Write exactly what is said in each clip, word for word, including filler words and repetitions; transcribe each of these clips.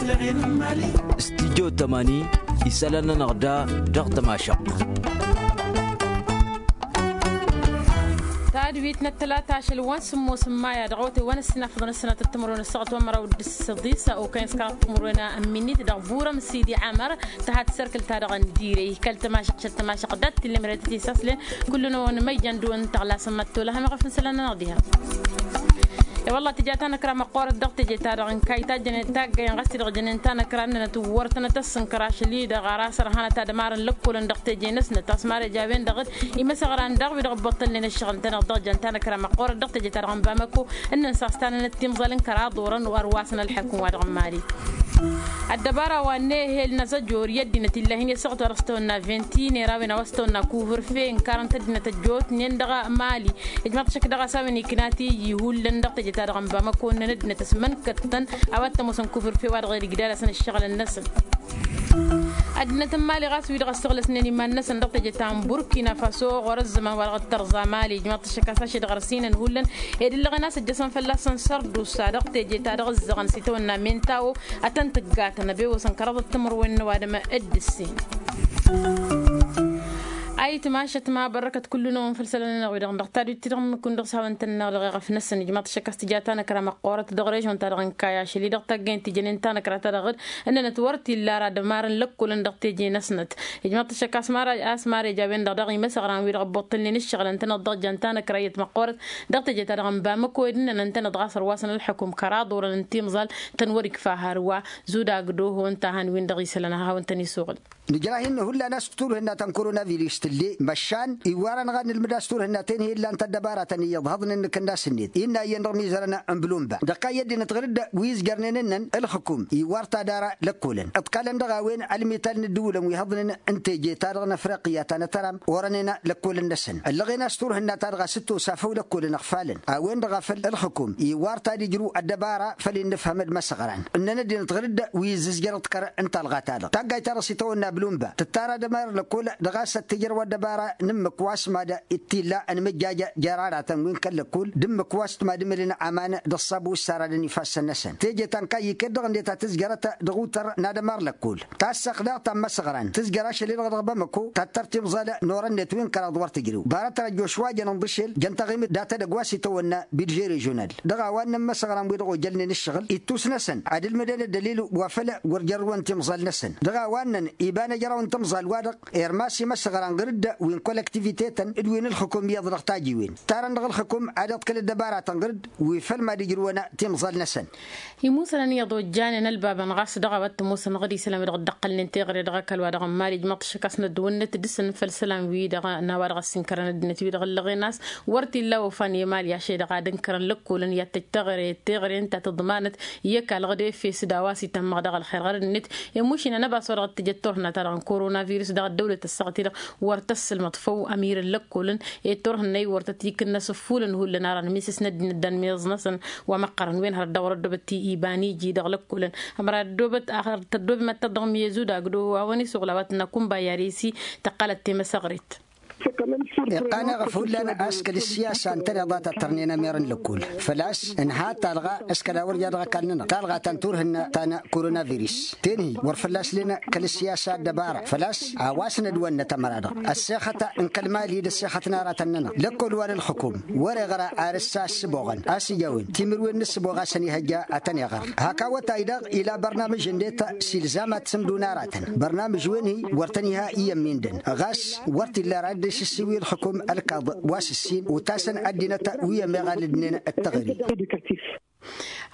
Studyo tămani isălan-nănăɣ da dăɣ-tămašăɣt. Tadwit n-ăttălata ašăl wa n-sǝmmos n-maya dăɣ-awătay wa n-ăssinafăḍăn ăssănat d-timǝrwen ăssaɣăt wa n-măraw d-săḍisa okăyăn s-kăraḍ timǝrwen n-minit dăɣ-burăm sidi amăr. Tăhat sărkǝl-ta-dăɣ n-dire ikăl tămašăɣt šăl tămašăɣt dat-t-illa măre tăt-isaslen. Kullu-năwăn măyjan dăɣ-wăn tăɣlasăm măttola hămăɣăf n-sălan-nănăɣ diha. E-wălla tǝja tanăkra măqqoorăt dăɣ-teje-ta-dăɣ n-kayy tajjănen taggayen ɣas-t-dăɣ jănen tanăkra ǝnnănăt wăr tănăt-ăssǝnkăr ašăl-i-dăɣ ar asărhanăt ad-ămarăn lăkkolăn dăɣ-teje-năsnăt a-s mare jawen-dăɣ-dd imăsăɣran daɣ wi-dăɣ ăbboṭṭălnen ǝššăɣǝl ǝntăneḍ dăɣ-jăn tanăkra măqqoorăt dăɣ-teje-ta-dăɣ n-bamăko. Ǝnnăn s-a-s tanănăt timẓal n-kăraḍ orăn ar wasăn ălḥăkǝm wa dăɣ-n mali. Ăddăbara wa n-ehel n-azăjor i-ăddinăt illahin i-ăssăɣăt wa dăɣ-s tăwănna vinti n-era a-wen a-wa s-tăwănna kuvǝrfe ǝnkarăn-t ăddinăt ăjjootnen dăɣ-mali. Ijmăḍ šăkk dăɣ-a-s a-wen ikna tiji hullan dăɣ-teje-ta-dăɣ n-bamăko ǝnnăn ăddinăt ăsmănkăttăn a-wa t-ămoosăn kuvǝrfe wa dăɣ-e-d igdal-asăn ǝššăɣǝlăn-năsăn. Ăddinăt n-mali ɣas wi-dăɣ ăssăɣlăsnen iman-năsăn dăɣ-teje ta n-burkina faso ɣur-ăzzăman wa dăɣ-tărẓa mali ijmăḍ-t ăššăk a-s ašăl-dăɣ ărsinăn hullan ed ǝllăɣen a-s ǝjjăsăn fălla-săn sărdusa dăɣ-teje ta dăɣ-ǝzzăɣăn s-itawănna mintawo. Ad-tăn-tǝggatăn ăbewăsăn kăraḍăt timǝrwen n-ăwadǝm. D-ǝssin a itmašăt ma bărrăkăt kullu-năwăn făll-isălan-nănăɣ wi-dăɣ dăɣ-tadwit-ti-dăɣ n-imǝkkun dăɣ-s hawăn-tăn-năɣ dăɣ-eɣăf-năsăn ijmaḍ-t ašăk a-s tǝja tanăkra măqqoorăt dăɣ-režion-ta-dăɣ n-kayy ašăl-i-dăɣ taggăyăn tijănen tanăkra-ta-dăɣ-dd ǝnnănăt wăr t-illa ara d-ămarăn lăkkolăn dăɣ-teje-năsnăt. Ijmaḍ-t ašăk a-s mare a-s mare jawen-dăɣ dăɣ-imăsăɣran wi-dăɣ ăbbuṭṭălnen ǝššăɣǝlăn-tănăt dăɣ-jăn tanăkra iyyăt măqqoorăt dăɣ-teje-ta-dăɣ n-bamăko ed ǝnnănăn-tănăt ɣas ărwasăn ălḥăkum kăraḍ orăn n-timẓal tăn-wăr-ikfa hărwa. Zudagdo hawăn-tăn-ihăwăn tăn-isuɣǝl. Nǝjrah-in hullan a-s turhǝnna-tăn koronavirus tǝlle măšan iwwar-anăɣ ad-nǝlmǝd a-s turhǝnna-ten hi-illan tăddăbaratăn iyyăḍ hăḍnen n-ikǝnnas-net innă iyyăn dăɣ-imizărăn n-blumbăr dăɣ-kayy ăddinăt ɣǝr-dd wi ǝzjărnen ǝnnăn ǝlxǝkum iwwar-t ad-ara lăkkolăn ǝḍkalăn dăɣ-a-wen ălmital n-ǝddǝwǝlăn wi hăḍnen n-teje-ta-dăɣ n-afriqya ta n-atăram orănen lăkkolăn-năsăn ăllăɣen a-s turhǝnna-ta-dăɣ a-s ǝttosa făw lăkkolăn ăɣfalăn a-wen-dăɣ a făl ǝlxǝkum iwwar-t ad-ijrǝw ăddăbara făll-innǝfhăm d-imăsăɣran ǝnnăn ăddinăt ɣǝr-dd wi ǝzzǝzjăr ăḍkăr n-talɣa-ta-dăɣ taggayt ta dăɣ-s itawănna blumbăr tǝttara d-ămar lăkkol dăɣ-a-s ad-t-ǝjrăw ăddăbara n-ǝmmǝk wa s-mad-t-illa ănmǝjjaj jer-aratăn wi n-kăl-lăkkol d-ǝmmǝk wa s-t-mad-ǝmǝlǝn aman dăɣ-ṣab wi ǝssarădăn ifassăn-năsăn teje ta n-kayy iket-dăɣ ǝnnet a tǝzjărăt dăɣ-utăr n-ad-ămar lăkkol tassăɣt daɣ ta n-imăsăɣran tǝzjăr ašăl-i-dăɣ dăɣ-bamăko tattăr timẓal n-orăn-net wi n-kăraḍ wăr tǝjrew barăt răjjoš wa jăn ǝnḍǝšel jăn taɣimit data dăgg-wa s-itawănna bidže režional dăɣ-a-wa ǝnnăn imăsăɣran-wi-dăɣ ojălnen ǝššăɣǝl ittus-năsăn ad-ǝlmǝdăn ăddălil wa făl wăr jărrǝwăn timẓal-năsăn dăɣ-a-wa ǝnnăn iba n-ejăraw n-timẓal-wa-dăɣ irmas imăsăɣran ɣǝr-dd wi n-kolăktivite-tăn d-wi n-ǝlxǝkum iyyăḍ dăɣ-tajiwen ǝttarăn dăɣ-ǝlxǝkum ad-iḍkǝl ăddăbaratăn ɣǝr-dd wi făl mad-ǝjrǝwăn timẓal-năsăn. Imusănăn iyyăḍ ojjanen ălbabăn ɣas dăɣ-a-wa t-ămoosăn ɣǝd isălan wi-dăɣ dd-ăqqălnen teɣăre dăɣ-ăkall-wa-dăɣ n-mali ijmăḍ-t ašăk a-s năddǝwǝnnăt dăɣ-săn făll-isălan-wi-dăɣ n-a-wa dăɣ-ăssinkărăn ăddinăt-wi-dăɣ ǝllăɣen a-s wăr t-illa ofan i-mali ašăl-i-dăɣ ad-ǝnkărăn lăkkolăn i-ad-tăj teɣăre teɣăre ǝnta tǝḍmanăt i-ăkall ɣǝd efes d-a-wa s-itămmăɣ dăɣ-ălxer ɣărăd-net. Emušinăn ăbas wa dăɣ-t tǝjăt turhǝnna-ta-dăɣ n-koronavirus dăɣ-ăddăwlăt ăssaɣăt-i-dăɣ wăr tăssǝlmăḍ făw ămirăn lăkkolăn ed turhǝnna-i wăr tăt-ikǝnnăs ǝffulăn hullan ara n-misis n-ăddinăt d-anmiẓnăsăn wa măqqărăn wen hărăt dăɣ-wăr ăddoobăt ti iba n-iji dăɣ-lăkkolăn. Ămăra ăddoobăt axăr tăddoobem ad-tăt-dăɣ miyăzud agdo a-wăn isuɣǝl a-wa tǝnna kunba i-ad-esi tăqqalăt temăsăɣret. Iqqan eɣăf hullan a-s kăl-ǝssiyasa ǝntăneḍ a tăttărnen ămerăn lăkkol făl-a-s ǝnha talɣa s-kăla wăr ja dăɣ-ăkall-nănăɣ talɣa ta n-turhǝnna ta n-koronavirus ten-hi wăr fălla-s len kăl-ǝssiyasa ăddăbara făl-a-s a-wa s-nădwănnăt ămăra-dăɣ ăssexăt n-kăl-mali d-ăssexăt n-aratăn-nănăɣ lăkkol wa n-ǝlxǝkum wăr-iɣra ar ǝssa ǝssǝboɣăn a-s ija a-wen timǝrwen n-ǝssǝboɣ a-s ănihăjja ad-tăn-iɣăr hak awătay daɣ ila bărnamǝj ǝnnet s-ilzam ad-t-sǝmdǝwăn aratăn bărnamǝj-wen-hi wăr tăn-iha iyyăn mindăn ɣas wăr t-illa ara dd-išǝssi wi ǝlxǝkum ălkaḍ wa s-ǝssin otasăn ăddinăt wi ămeɣal ǝdnen d-teɣăre.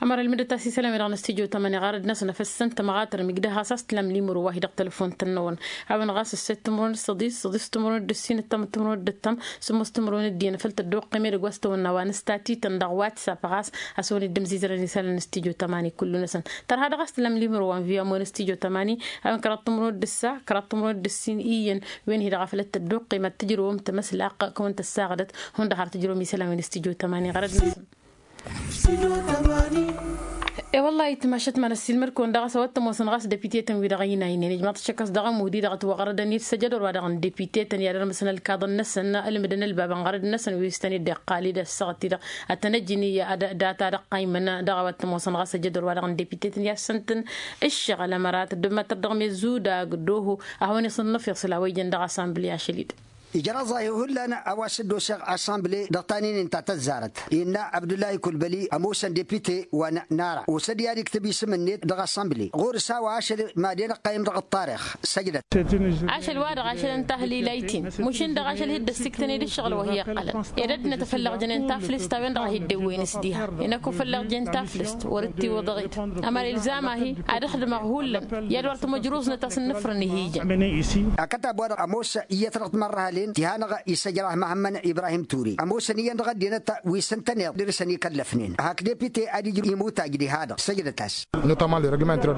Ămăra ǝlmǝdăt a-s isălan-wi-dăɣ n-studyo tămani ɣarăd-năsăn afăssăn tămɣatăr migdăh ɣas a-s tǝlam limǝro wa hi-dăɣ tălăfon-tăn-năwăn a-wen ɣas ǝsset timǝrwen d-săḍis săḍis timǝrwen d-ǝssin ǝttam timǝrwen d-ǝttam sǝmmos timǝrwen d-iyyăn făll-tăddoqqem edăgg wa s-tăwănna wa n-ǝstati-tăn dăɣ-whatsapp ɣas a-s wăn-dd-ǝmzizărăn isălan n-studyo tămani kullu-năsăn. Tărha dăɣ-a-s tǝlam limǝro wa n-vi ămoy n-studyo tămani a-wen kăraḍ timǝrwen d-ǝssa kăraḍ timǝrwen d-ǝssin iyyăn wen-hi-dăɣ a făl dd-tăddoqqem ad-tǝjrǝwăm tamăslaqq kăwăn-tăssaɣdăt hundăɣ har tǝjrǝwăm isălan wi n-studyo tămani ɣărăd-năsăn. E-wălla-hi tǝmašăt ma n-ăssiilmăd-kăwăn dăɣ-s a-wa t-ămoosăn ɣas depite-tăn-wi-dăɣ ăynaynen ijmaḍ-t šăkk a-s dăɣ-amudi dăɣ-ătwăɣrădăn-dd săjăd orwa dăɣ-n depite-tăn i-ad-ărmǝsăn ălkaḍăn-năsăn ălmǝdăn ălbabăn ɣărăd-năsăn wi s-tăn-dd-iqqal-dd ăssaɣăt-ti-dăɣ ad-tăn-ăjǝn i-ad-data dăɣ-qayǝmăn dăɣ-a-wa t-ămoosăn ɣas săjăd orwa dăɣ-n depite-tăn i-ad-săn-tăn-ǝššăɣǝl ămăra tăddǝmmăt-tăr dăɣ-mezud agdăhu a hawăn-iṣǝnnăf iṣǝl a-wa ijăn dăɣ-assanbli ašăl-i-dăɣ. Ijraẓ-ahi hullan a-wa s-dd-osăɣ assanbli dăɣ-taninin ta tăzzarăt innă abdullahi kulbăli ămoosăn depite wa n-ara osăd i-ad-iktǝb isǝm-net dăɣ-assanbli ɣur-s a-wa ašăl mad-en ăqqayǝm dăɣ-ăṭṭarix. Săjdăt. Ašăl-wa-dăɣ ašăl n-tahlila itin mušǝn-dăɣ ašăl hi-dd-ăssiktăn-dd ǝššăɣǝl wa hi-iqqălăn ed ăddinăt a făllăɣ jănen taflǝst a-wen-dăɣ a hi-dd-ewwăyăn s-diha. Inăkku făllăɣ jen taflǝst wăr-dd-tiwǝḍăɣ-dd ămăra ilzam-ahi ad-ăxdǝmăɣ hullan i-ad-wăr tǝmăjruẓnăt a-s ǝnnǝfrăn ih'-ijăn. Akătab-wa-dăɣ ămoos iyyăt dăɣ-timărrăhălen ti hanăɣ-isăjrah măhămmăn ibrahim ture ămoosăn iyyăn dăɣ-ăddinăt wi s-ǝntăneḍ dăr-săn ikăllăfnen hak depite ad-ijrǝw imuttaj diha-dăɣ săjdăt-as.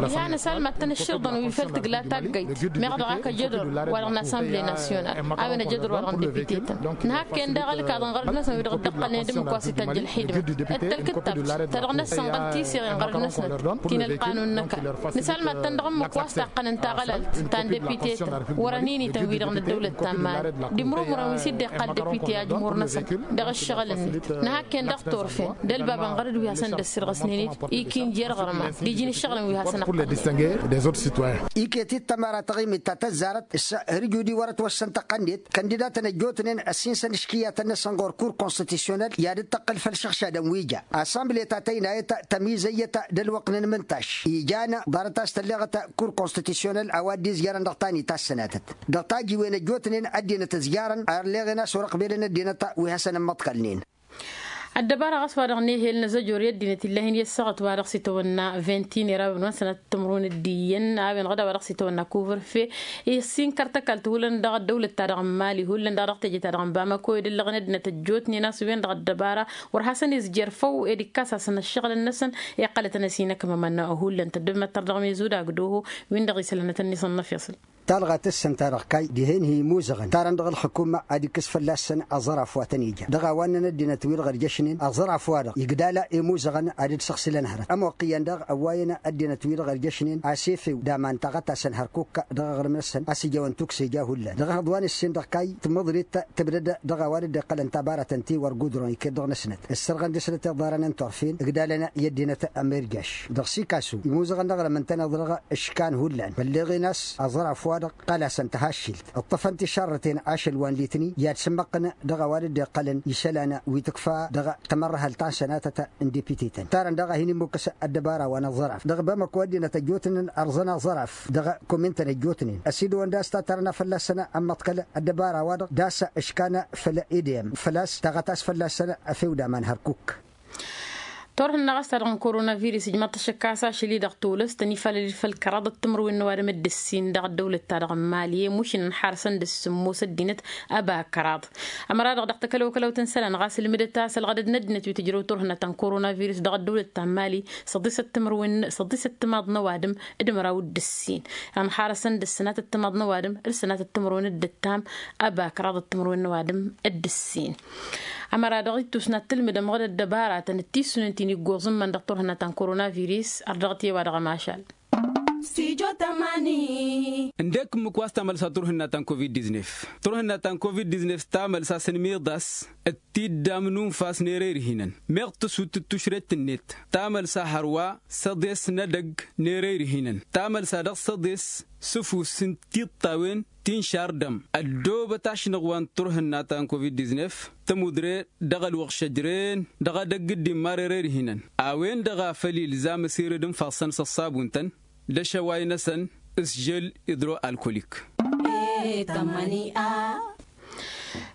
Diha nǝsalmad-tăn ǝšširḍăn wi făl tǝgla taggayt meɣ dăɣ-ak ăjădor wa dăɣ-n assanble nasyonal a-wen ăjădor wa dăɣ-n depite-tăn. Nǝhakken daɣ ălkaḍăn ɣărăd-năsăn wi dăɣ-dd-ǝqqălnen d-ǝmmǝk wa s-itajj ălxidmă d-tălkǝttabt ta dăɣ-năssănɣăl tiseɣen ɣărăd-năsnăt ti n-ălqanun n-ăkall. Nǝsalmad-tăn dăɣ-ǝmmǝk wa s-taqqănăn taɣălalt ta n-depite-tăn wăr-ăninităn wi-dăɣ n-ăddăwlăt ta n-mali d-imrumrăn wi s-dd-iqqal depite ajmur-năsăn. Dăɣ-ǝššăɣǝl-net nǝhakken dăɣ-turfen d-ălbabăn ɣărăd wi hasăn-dd-ăssirɣăsnen-dd ikin jer-ɣărma d-iji n-ǝššăɣǝlăn wi hasăn-ăqqălnen. Iket-dd tămăra taɣimit ta tăzzarăt s-hărjudi wăr-ătwăssăn tăqqăn-net kăndidatăn ăjjootnen ăssinsăn iškǝyyatăn-năsăn ɣur-kur konstitisyonăl i-ad-dd-tăqqǝl făll-išăɣšadăn wi ja. Assanble ta tăynayăt tămizăyyăt d-ălwăqq n-ălmǝntaš ija ḍarăt a-s tălleɣăt kur konstitisyonăl a-wa dd-izjarăn dăɣ-tanit ta s-sănatăt dăɣ-tajiwen ăjjootnen ăddinăt ǝzjarăn ărleɣen a-s wăr-ăqbelăn ăddinăt wi hasăn-ămmăḍkălnen. Ăddăbara ɣas wa-dăɣ n-ehel n-azăjor i-ăddinăt illahen i-ăssaɣăt wa-dăɣ s-itawănna vintin era wen wa n-sănat timrun d-iyyăn a-wen ɣăd a-wa dăɣ-s itawănna kuvrfe. Issin kăr-tăkalt hullan dăɣ-ăddăwlăt-ta-dăɣ n-mali hullan dăɣ-dăɣ teje-ta-dăɣ n-bamako ed ǝllăɣăn ăddinăt ăjjootnen a-s wen-dăɣ ăddăbara wăr hasăn-izjer făw ed ikkas-asăn ăššăɣǝlăn-năsăn. Iqqălătăn ăsinăkmămăn hullan tăddămmăt tărdăɣ mezud agdăhu win-dăɣ isălănăt ănni s-ănnăfiṣǝl. Talɣa tǝssǝn-ta-dăɣ kayy dihen hi-imuzăɣăn tarăn dăɣ-ălxǝkumma ad-ikkǝs fălla-săn aẓăraf wa tăn-ija dăɣ-a-wa ǝnnăn ăddinăt wi-dăɣ ărjăšnen aẓăraf-wa-dăɣ igdala imuzăɣăn ad-dd-săɣsǝlăn hărăt ămoqqǝyăn daɣ ăwwayăn ăddinăt wi-dăɣ ărjăšnen a-s efew d-aman taɣăt-asăn hărkuk dăɣ-aɣrǝm-năsăn a-s ijawăn tukse ja hullan dăɣ-ehăḍ wa n-ǝssin dăɣ-kayy tǝmmǝḍrit tǝbdăd dăɣ-a-wa dd-iqqălăn tabarăt ǝnta i-wăr gudron iket dăɣ-năsnăt ǝssărɣăn dăɣ-snăt iḍarăn n-turfen ǝgdalăn i-ăddinăt ămirjaš. Dăɣ-sikasu imuzăɣăn dăɣ-răm ǝntăneḍ dăɣ-ǝškan hullan bălleɣen a-s aẓăraf wa-dăɣ ăqqăl-asăn tăhaššilt ǝṭṭăfăn tišarrăten ašăl wa n-litni i-ad-sǝmmăqqǝn dăɣ-a-wa dd-iqqălăn isălan wi tǝkfa dăɣ-tamărrăhălt ta n-sănatăt n-depite-tăn tarăn daɣ a hin-immukǝs ăddăbara wa n-aẓăraf dăɣ-bamăko ăddinăt ăjjootnen ărẓăn aẓăraf dăɣ-komintăn ăjjootnen ăsidăwăn d-a-s ta tarna fălla-săn ămmăḍkăl ăddăbara-wa-dăɣ d-a-s ǝškan făll-edem făl-a-s taɣăt a-s fălla-săn ăfew d-aman hărkuk. Turhǝnna ɣas ta dăɣ-n koronavirus ijmaḍ-t ašăk a-s ašăl-i-dăɣ tolăst ănifalăl-dd făll-kăraḍăt timǝrwen n-ăwadǝm d-ǝssin dăɣ-ăddăwlăt-ta-dăɣ n-mali i-mušǝn ănḥarăsăn d-ǝssǝmmos ăddinăt ăba kăraḍ. Ămăra-dăɣ dăɣ-takălăwkălăwt n-isălan ɣas ǝlmǝdăt a-s ălɣădăd n-ăddinăt wi tǝjrăw turhǝnna ta n-koronavirus dăɣ-ăddăwlăt ta n-mali săḍisăt timǝrwen săḍisăt timaḍ n-ăwadǝm d-măraw d-ǝssin. Ănḥarăsăn d-ǝssǝnatăt timaḍ n-ăwadǝm d-sănatăt timǝrwen d-ǝttam ăba kăraḍăt timǝrwen n-ăwadǝm d-ǝssin. Ămăra-dăɣ ittus n-ad-tǝlmǝdăm ɣǝd ăddăbaratăn d-tissunen ti n-iggoẓ n-iman dăɣ-turhǝnna ta n-koronavirus ărdăɣăt i-wa-dăɣ ămašal. Ǝndek ǝmmǝk wa s-tamălsa turhǝnna ta n-covid-diznef turhǝnna ta n-covid-diznef tamălsa s-ănmiḍas d-tiddam n-unfas n-ere irhinăn meɣ tǝsut d-tušret-net tamălsa hărwa săḍes n-edăgg n-ere irhinăn tamălsa dăɣ-săḍes s-ǝfus n-tiṭṭawen ti n-šardăm ăddoobăt ašnăɣ wa n-turhǝnna ta n-covid-diznef tămudre dăɣ-ălwăɣšăjren dăɣ-edăgg dd-immar ere irhinăn a-wen-dăɣ a făl ilzam ăsired ǝnfassăn s-ăṣṣabun-tăn d-ašăway-năsăn s-žel idro-alkolik.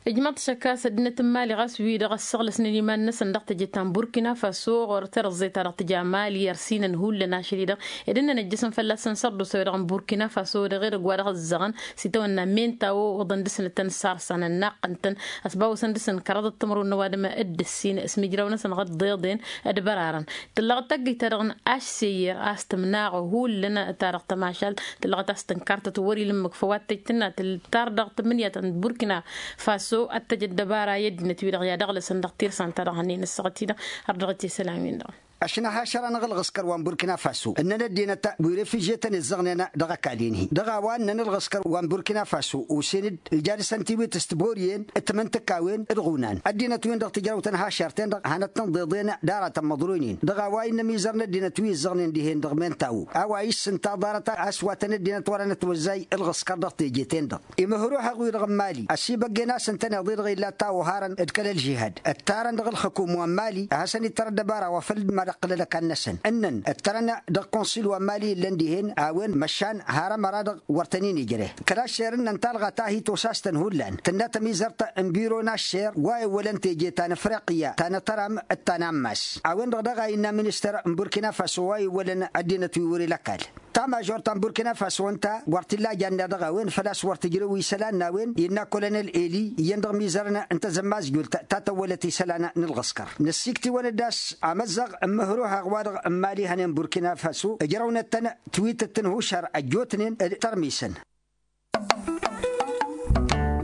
Ijmăḍ-t šăkkas ăddinăt n-mali ɣas wi-dăɣ ăssăɣlăsnen iman-năsăn dăɣ-teje ta n-burkina faso ɣur-terăẓẓe-ta-dăɣ tǝja mali ărsinăn hullan ašăl-i-dăɣ ed ǝnnăn ăjjăsăn fălla-săn sărdusa-wi-dăɣ n-burkina faso dăɣ-edăgg wa dăɣ-ǝzzăɣăn s-itawănna menta a-wa oḍăn dăɣ-snăt tăn-sarsăn ănnaqqăn-tăn ăsbawăsăn dăɣ-săn kăraḍăt timǝrwen n-ăwadǝm d-ǝssin s-imǝjraw-năsăn ɣǝḍḍeḍen d-bărarăn. Tǝllăɣăt taggăyt-ta-dăɣ n-ašseyyăr a-s tǝmnaɣ hullan ta dăɣ-tămašalt tǝllăɣăt a-s tǝnkartăt wăr-ila ǝmmǝk făw ad-tăjj tǝnna tǝll-tar dăɣ-tǝmmǝnǝya ta n-burkina faso ad-tăjj ăddăbara i-ăddinăt-wi-dăɣ i-ad-ăɣlăsăn dăɣ-tirsan-ta-dăɣ hănen ǝssăɣăt-i-dăɣ. Ărdăɣăt i-isălan-win-dăɣ. ăšnăhašăr-anăɣ ǝlɣǝskăr wa n-burkina faso ǝnnăn ăddinăt wi refižyetăn izzăɣnen dăɣ-ăkall-en-hi dăɣ-a-wa ǝnnăn ǝlɣǝskăr wa n-burkina faso osen-dd ǝlja dăɣ-săn tiwit s-tiboryen d-timǝntǝkkawen d-iɣunan ăddinăt-win-dăɣ tǝjrăwt n-hašăr-ten-dăɣ hanăt-tăn-ḍeḍen d-aratăn măḍroynen dăɣ-a-wa innă imizăr n-ăddinăt wi ǝzzăɣnen dihen dăɣ-menta-wo a-wa išsǝnta ḍarăt a-s wa tăn-ăddinăt wărăn ătwăzzay ǝlɣǝskăr dăɣ-teje-ten-dăɣ imǝhruhăɣ-wi-dăɣ n-mali ăsibăggen a-s ǝntăneḍ-i-dăɣ illa ătawăharăn d-kăl-ălžihad ăttarăn dăɣ-ǝlxǝkum wa n-mali a hasăn-ittar ăddăbara wa făll-dd-mad-ăqqǝlăl ăkall-năsăn ǝnnăn ǝttărăn dăɣ-konsil wa n-mali illăn dihen a-wen măšan har ămăra-dăɣ wăr tăn-in-ijreh kăl-aššer ǝnnăn talɣa ta hi-tosas-tăn hullan tǝnna tămizărt n-biro n-aššer wa ewwălăn teje ta n-afriqya ta n-atăram d-ta n-ammas a-wen-dăɣ daɣ a innă ministăr n-burkina faso wa ewwălăn ăddinăt wi wăr-ila ăkall ta mažor ta n-burkina faso ǝnta wăr t-illa janna dăɣ-a-wen făl-a-s wăr tǝjrew isălan n-a-wen innă kolonel eli iyyăn dăɣ-mizărăn n-tazămmazjult ta tăwwălăt isălan n-ǝlɣǝskăr năssikt'-iwăn-dd a-s amăzzăɣ n-imǝhruhăɣ wa-dăɣ n-imali hănen burkina faso ǝjrăwnăt-tăn twitǝt n-hušăr ăjjootnen d-tărmisăn.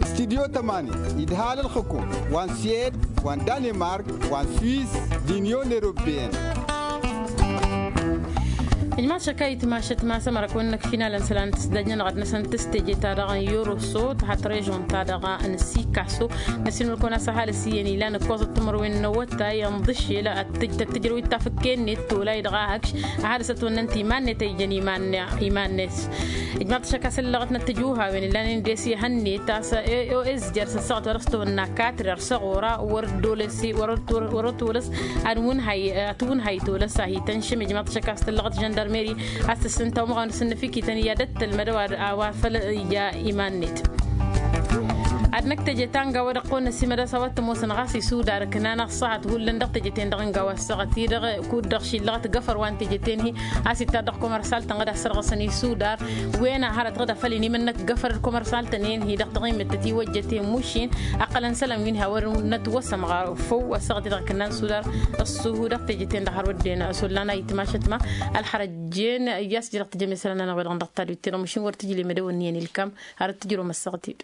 Studyo tămani idhal ǝlxǝkum wa n-siyed wa n-danimark wa n-swis d-inyon eropeyăn. Ijmaḍ šăkayt mašăt ma s-ămărăkwen-năk finalăn isălan tǝsdăjnănăɣ ad-năsăn tǝstejeta dăɣ-n yoroso tăhat režon-ta-dăɣ n-sikaso năsinulkăwăn a-s ăhalǝs iyyăn ilan ǝkkoẓăt timărwen n-awătay ănḍǝššel ad-tǝj tăt-tǝjrăwit tafǝkke-net tolay dăɣ-ahăkš ăhalǝs ătwănnăn-t iman-net a ijăn iman-net. Ijmaḍ-t ašăk a-s ǝllăɣăt n-ăttǝjuhawen illanen des ihănnet a-s ăzzjăr s-ăssaɣăt wa dăɣ-s tăwănna katrer s-ăɣora wăr-dd olăs wăr-dd olăs ad-wǝnhay ad-tǝwǝnhay tolăs a hi-tănšăm ijmaḍ-t ašăk a-s tǝllăɣăt žăndărmeri a-s tǝssǝnta umăɣ n-asǝnnǝfikităn i-ad-dd tălmădăw a-wa făl ija iman-net. Ad-năkk teje ta n-gawa dăɣ-kăwăn-năsimăd a-s a-wa t-ămoosăn ɣas isudar ǝknan ăṣṣăhăt hullan dăɣ-teje-ten-dăɣ n-gawa ăssaɣăt-i-dăɣ kud-dăɣ šillăɣăt găfăr wa n-teje-ten-hi a-s ittad dăɣ-komărsal-tăn ad-ăssărɣăsăn isudar wen a hărăt ɣǝd a făl inimǝnnăk găfăr d-komărsal-tăn-en-hi dăɣ-taɣimmǝttăt iwăjjăten mušin ăqqălăn isălan wi n-ha wăr nătwăsăm ɣer făw ăssaɣăt-i-dăɣ ǝknan isudar ăṣṣuhu dăɣ-teje-ten-dăɣ har wădden ăsollan a itmašăt ma ălxărăjjen i-a-s j-dăɣ tǝjăm isălan-nănăɣ wi-dăɣ dăɣ-tadwit tiḍămušin wăr tǝjlem ad-ăwănniyăn ilkam har dd-tǝjrǝwăm ăssaɣăt-dd.